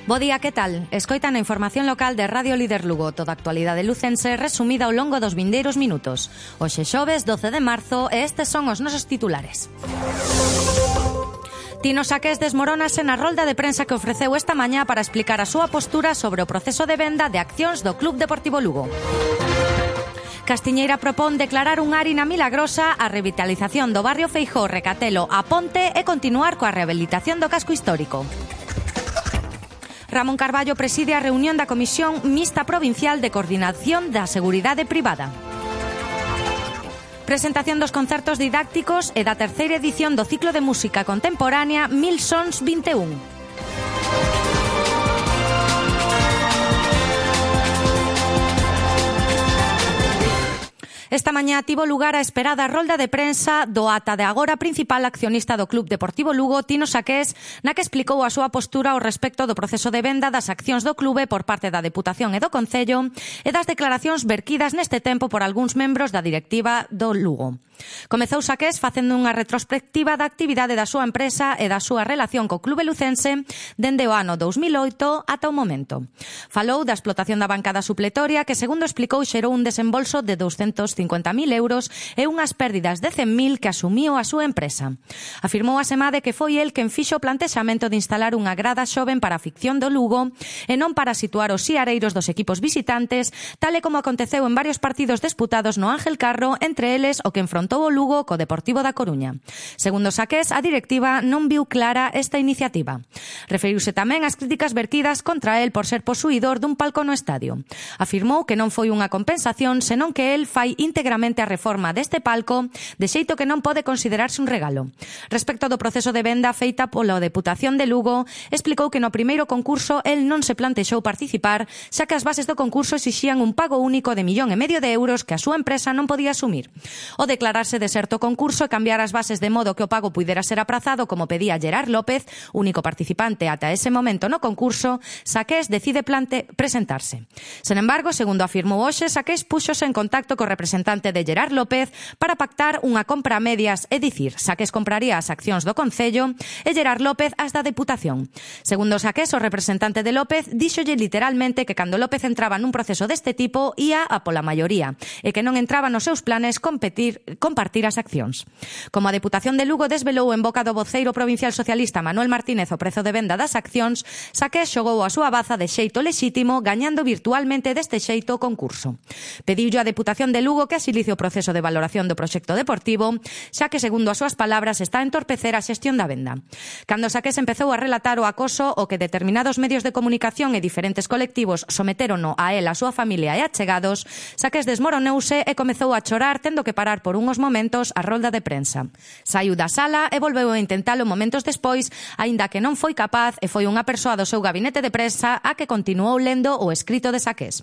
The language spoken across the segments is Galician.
Bo día, que tal? Escoitan a información local de Radio Líder Lugo, toda a actualidade lucense resumida ao longo dos vindeiros minutos. Hoxe xoves 12 de marzo e estes son os nosos titulares. Tino Saqués desmorónase na rolda de prensa que ofreceu esta mañá para explicar a súa postura sobre o proceso de venda de accións do Club Deportivo Lugo. Castiñeira propón declarar un ARI na Milagrosa, a revitalización do barrio Feijóo, Recatelo, a Ponte e continuar coa rehabilitación do casco histórico. Ramón Carballo preside a reunión da Comisión Mixta Provincial de Coordinación da Seguridade Privada. Presentación dos concertos didácticos e da terceira edición do ciclo de música contemporánea 1000 Sons 21. Esta mañá tivo lugar a esperada rolda de prensa do ata de agora principal accionista do Club Deportivo Lugo, Tino Saqués, na que explicou a súa postura ao respecto do proceso de venda das accións do clube por parte da Deputación e do Concello e das declaracións verquidas neste tempo por algúns membros da directiva do Lugo. Comezou Saqués facendo unha retrospectiva da actividade da súa empresa e da súa relación co clube lucense dende o ano 2008 ata o momento. Falou da explotación da bancada supletoria que, segundo explicou, xerou un desembolso de 250.000 euros e unhas pérdidas de 100.000 que asumiu a súa empresa. Afirmou a semade que foi el quen fixo o plantexamento de instalar unha grada xoven para a ficción do Lugo e non para situar os siareiros dos equipos visitantes, tal e como aconteceu en varios partidos disputados no Ángel Carro, entre eles o que enfrontou o Lugo co Deportivo da Coruña. Segundo Saqués, a directiva non viu clara esta iniciativa. Referiuse tamén ás críticas vertidas contra el por ser posuidor dun palco no estadio. Afirmou que non foi unha compensación, senón que el fai íntegramente a reforma deste palco, de xeito que non pode considerarse un regalo. Respecto do proceso de venda feita pola Deputación de Lugo, explicou que no primeiro concurso el non se plantexou participar, xa que as bases do concurso exixían un pago único de 1,5 millón de euros que a súa empresa non podía asumir. O declararse deserto o concurso e cambiar as bases de modo que o pago puidera ser aprazado, como pedía Gerard López, único participante ata ese momento no concurso, Saqués decide presentarse. Sen embargo, segundo afirmou hoxe, Saqués púxose en contacto co representante de Gerard López para pactar unha compra a medias, é dicir, Saqués compraría as accións do Concello e Gerard López as da Deputación. Segundo Saqués, o representante de López díxolle literalmente que cando López entraba nun proceso deste tipo ia a pola maioría e que non entraba nos seus planes compartir as accións. Como a Deputación de Lugo desvelou en boca do voceiro provincial socialista Manuel Martínez o prezo de venda das accións, Saqués xogou a súa baza de xeito lexítimo, gañando virtualmente deste xeito o concurso. Pediulle a Deputación de Lugo que axilice o proceso de valoración do proxecto deportivo, xa que, segundo as súas palabras, está a entorpecer a xestión da venda. Cando Saqués empezou a relatar o acoso o que determinados medios de comunicación e diferentes colectivos sometérono a él, a súa familia e achegados, Saqués desmoroneuse e comezou a chorar, tendo que parar por unhos momentos a rolda de prensa. Saiu da sala e volveu a intentalo momentos despois, aínda que non foi capaz e foi unha persoa do seu gabinete de prensa a que continuou lendo o escrito de Saqués.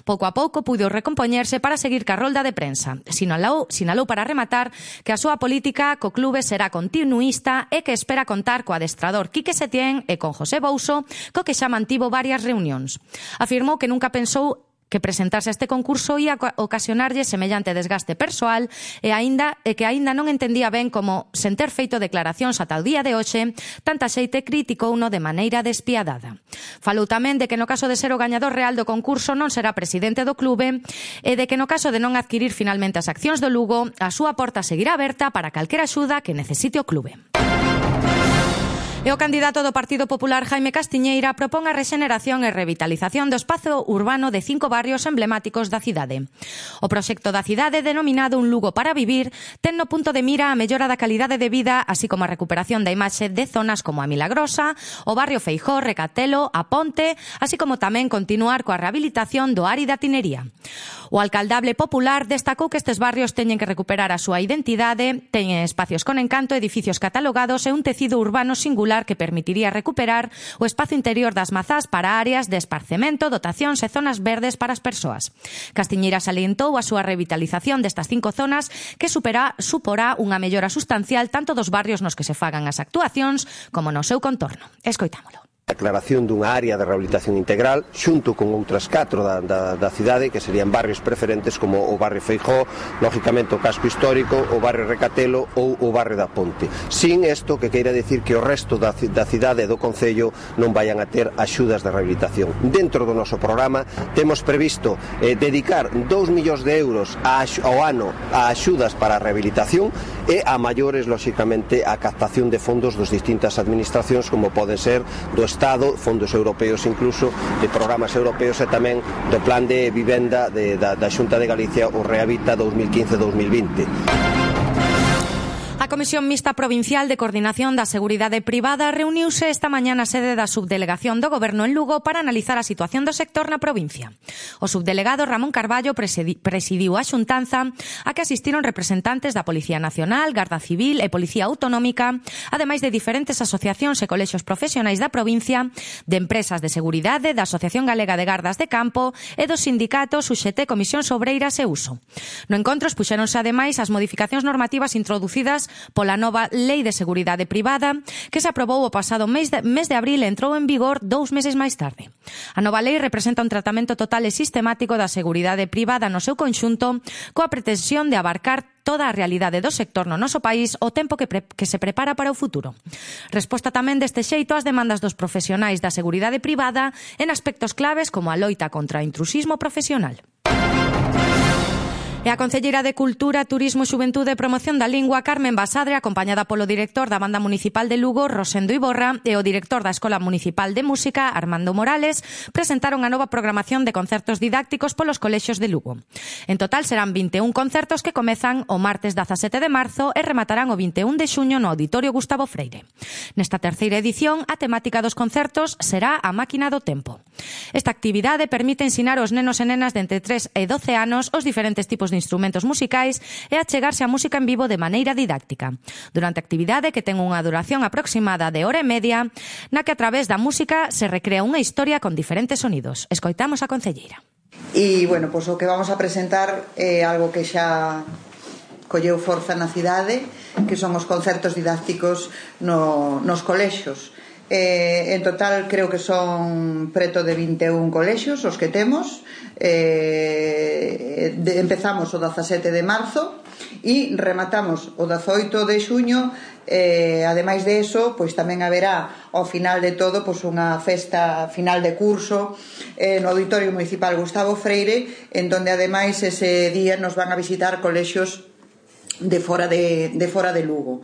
Pouco a pouco puido recompoñerse para seguir ca rolda de prensa. Sinalou para rematar que a súa política co clube será continuista e que espera contar co adestrador Quique Setién e con José Bouso, co que xa mantivo varias reunións. Afirmou que nunca pensou que presentarse a este concurso ia ocasionarlle semellante desgaste persoal e que aínda non entendía ben como, sen ter feito declaracións ata o día de hoxe, tanta xeite criticouno de maneira despiadada. Falou tamén de que no caso de ser o gañador real do concurso non será presidente do clube e de que no caso de non adquirir finalmente as accións do Lugo, a súa porta seguirá aberta para calquera axuda que necesite o clube. E o candidato do Partido Popular, Jaime Castiñeira, propón a rexeneración e revitalización do espazo urbano de 5 barrios emblemáticos da cidade. O proxecto da cidade, denominado Un Lugo para Vivir, ten no punto de mira a mellora da calidade de vida, así como a recuperación da imaxe de zonas como a Milagrosa, o barrio Feijóo, Recatelo, a Ponte, así como tamén continuar coa rehabilitación do ARI da Tinería. O alcaldable popular destacou que estes barrios teñen que recuperar a súa identidade, teñen espacios con encanto, edificios catalogados e un tecido urbano singular que permitiría recuperar o espazo interior das mazás para áreas de esparcemento, dotacións e zonas verdes para as persoas. Castiñeira salientou a súa revitalización destas 5 zonas que suporá unha mellora sustancial tanto dos barrios nos que se fagan as actuacións como no seu contorno. Escoitámolo. A aclaración dunha área de rehabilitación integral xunto con outras 4 da cidade que serían barrios preferentes como o barrio Feijó, lógicamente o casco histórico, o barrio Recatelo ou o barrio da Ponte. Sin isto que queira decir que o resto da cidade e do concello non vayan a ter axudas de rehabilitación. Dentro do noso programa temos previsto dedicar 2 millóns de euros ao ano a axudas para a rehabilitación e a maiores, lógicamente, a captación de fondos dos distintas administracións como poden ser do Estado, fondos europeos incluso, de programas europeos e tamén do plan de vivenda da Xunta de Galicia, o Rehabita 2015-2020. A Comisión Mixta Provincial de Coordinación da Seguridade Privada reuniuse esta mañá na sede da Subdelegación do Goberno en Lugo para analizar a situación do sector na provincia. O subdelegado Ramón Carballo presidiu a xuntanza a que asistiron representantes da Policía Nacional, Garda Civil e Policía Autonómica, ademais de diferentes asociacións e colexios profesionais da provincia, de empresas de seguridade, da Asociación Galega de Gardas de Campo e dos sindicatos UGT, Comisións Obreiras e Uso. No encontro expuxéronse ademais as modificacións normativas introducidas pola nova Lei de Seguridade Privada que se aprobou o pasado mes de abril e entrou en vigor 2 meses máis tarde. A nova lei representa un tratamento total e sistemático da seguridade privada no seu conxunto coa pretensión de abarcar toda a realidade do sector no noso país o tempo que se prepara para o futuro. Resposta tamén deste xeito ás demandas dos profesionais da seguridade privada en aspectos claves como a loita contra o intrusismo profesional. E a concelleira de Cultura, Turismo, Xuventude e Promoción da Lingua, Carmen Basadre, acompañada polo director da Banda Municipal de Lugo, Rosendo Iborra, e o director da Escola Municipal de Música, Armando Morales, presentaron a nova programación de concertos didácticos polos colexios de Lugo. En total serán 21 concertos que comezan o martes 17 de marzo e rematarán o 21 de xuño no Auditorio Gustavo Freire. Nesta terceira edición, a temática dos concertos será a máquina do tempo. Esta actividade permite ensinar aos nenos e nenas de entre 3 e 12 anos os diferentes tipos de instrumentos musicais e achegarse a música en vivo de maneira didáctica. Durante a actividade, que ten unha duración aproximada de hora e media, na que a través da música se recrea unha historia con diferentes sonidos. Escoitamos a concelleira. E, bueno, pois o que vamos a presentar é algo que xa colleu forza na cidade, que son os concertos didácticos nos colexios. En total creo que son preto de 21 colexios os que temos. Empezamos o 17 de marzo e rematamos o 18 de xuño. Ademais de eso, pois tamén haberá ao final de todo pois unha festa final de curso no Auditorio Municipal Gustavo Freire, en donde ademais ese día nos van a visitar colexios de fora de Lugo.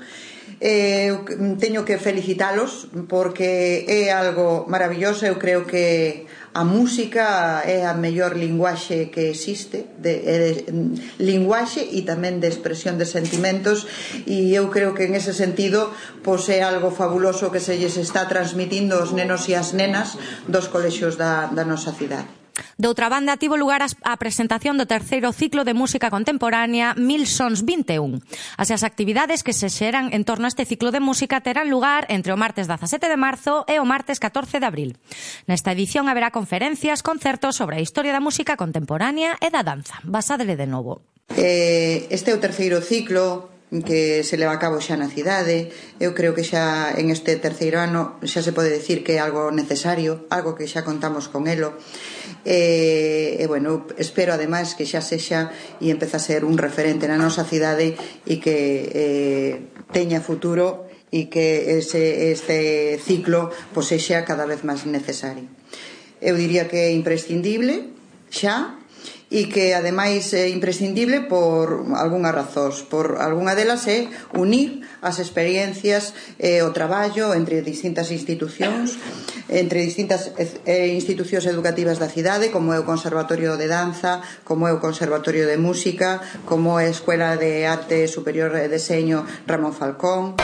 Teño que felicitalos porque é algo maravilloso. Eu creo que a música é a mellor linguaxe que existe, linguaxe e tamén de expresión de sentimentos, e eu creo que en ese sentido pois é algo fabuloso que se lles está transmitindo aos nenos e as nenas dos colexios da nosa cidade. Doutra banda, tivo lugar a presentación do terceiro ciclo de música contemporánea 1000 Sons 21. As actividades que se xeran en torno a este ciclo de música terán lugar entre o martes 17 de marzo e o martes 14 de abril. Nesta edición haberá conferencias, concertos sobre a historia da música contemporánea e da danza. Basadre de novo. Este é o terceiro ciclo que se leva a cabo xa na cidade. Eu creo que xa en este terceiro ano xa se pode decir que é algo necesario, algo que xa contamos con elo. Bueno, espero ademais que xa sexa e empeza a ser un referente na nosa cidade e que teña futuro e que este ciclo pois sexa cada vez máis necesario. Eu diría que é imprescindible xa, e que ademais é imprescindible por algunhas razóns. Por algunha delas é unir as experiencias e o traballo entre distintas institucións, entre distintas institucións educativas da cidade, como é o Conservatorio de Danza, como é o Conservatorio de Música, como é a Escuela de Arte Superior e Deseño Ramón Falcón.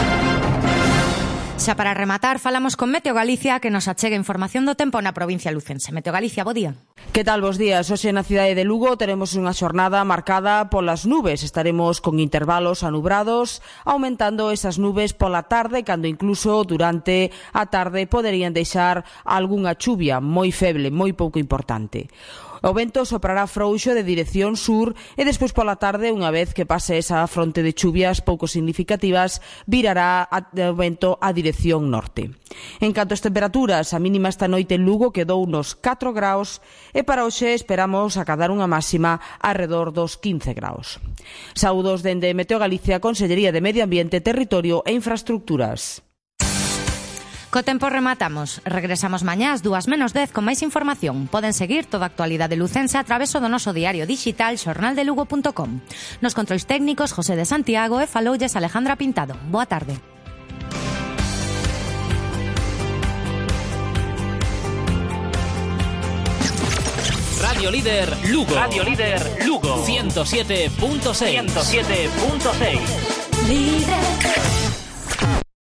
Xa para rematar, falamos con Meteo Galicia, que nos achega información do tempo na provincia lucense. Meteo Galicia, bo día. Que tal, bos días? Hoxe na cidade de Lugo teremos unha xornada marcada polas nubes. Estaremos con intervalos anubrados, aumentando esas nubes pola tarde, cando incluso durante a tarde poderían deixar algunha chuvia moi feble, moi pouco importante. O vento soprará frouxo de dirección sur e despois pola tarde, unha vez que pase esa fronte de chuvias pouco significativas, virará o vento a dirección norte. En canto ás temperaturas, a mínima esta noite en Lugo quedou nos 4 graus e para hoxe esperamos acadar unha máxima arredor dos 15 graus. Saúdos dende Meteo Galicia, Consellería de Medio Ambiente, Territorio e Infraestructuras. Co tempo rematamos. Regresamos mañá ás 2:10 con máis información. Poden seguir toda a actualidade lucense a través do noso diario digital xornaldelugo.com. Nos controis técnicos José de Santiago e faloulles Alejandra Pintado. Boa tarde. Radio Líder Lugo. Radio Líder Lugo. 107.6. 107.6. Líder.